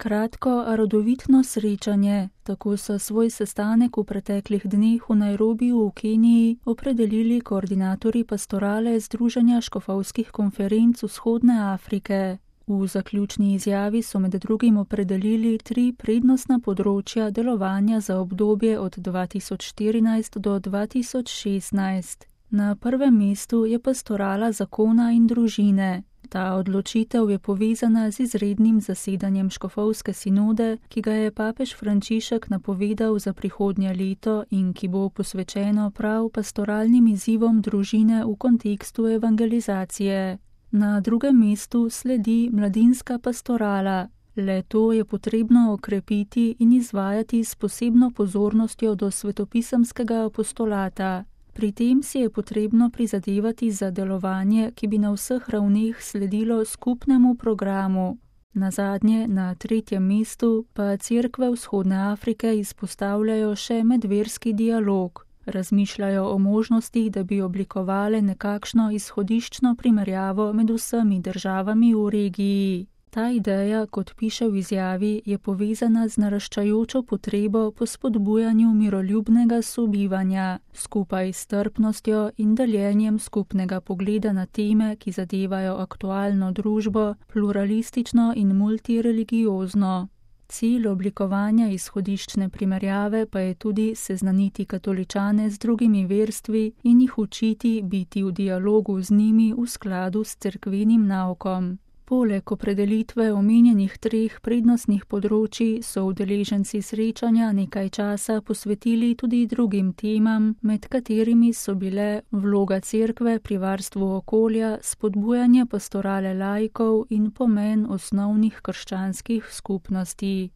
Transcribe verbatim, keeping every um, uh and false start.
Kratko, a rodovitno srečanje, tako so svoj sestanek v preteklih dneh v Nairobiju v Keniji opredelili koordinatorji pastorale Združenja škofovskih konferenc Vzhodne Afrike. V zaključni izjavi so med drugim opredelili tri prednostna področja delovanja za obdobje od dva tisoč štirinajst do dva tisoč šestnajst. Na prvem mestu je pastorala zakona in družine. Ta odločitev je povezana z izrednim zasedanjem škofovske sinode, ki ga je papež Frančišek napovedal za prihodnje leto in ki bo posvečeno prav pastoralnim izzivom družine v kontekstu evangelizacije. Na drugem mestu sledi mladinska pastorala. Le to je potrebno okrepiti in izvajati s posebno pozornostjo do svetopisemskega apostolata. Pri tem si je potrebno prizadevati za delovanje, ki bi na vseh ravneh sledilo skupnemu programu. Nazadnje, na tretjem mestu, pa cerkve Vzhodne Afrike izpostavljajo še medverski dialog. Razmišljajo o možnosti, da bi oblikovale nekakšno izhodiščno primerjavo med vsemi državami v regiji. Ta ideja, kot piše v izjavi, je povezana z naraščajočo potrebo po spodbujanju miroljubnega sobivanja, skupaj s strpnostjo in deljenjem skupnega pogleda na teme, ki zadevajo aktualno družbo, pluralistično in multireligiozno. Cilj oblikovanja izhodiščne primerjave pa je tudi seznaniti katoličane z drugimi verstvi in jih učiti biti v dialogu z njimi v skladu s cerkvenim naukom. Poleg opredelitve omenjenih treh prednostnih področij so udeleženci srečanja nekaj časa posvetili tudi drugim temam, med katerimi so bile vloga cerkve pri varstvu okolja, spodbujanje pastorale laikov in pomen osnovnih krščanskih skupnosti.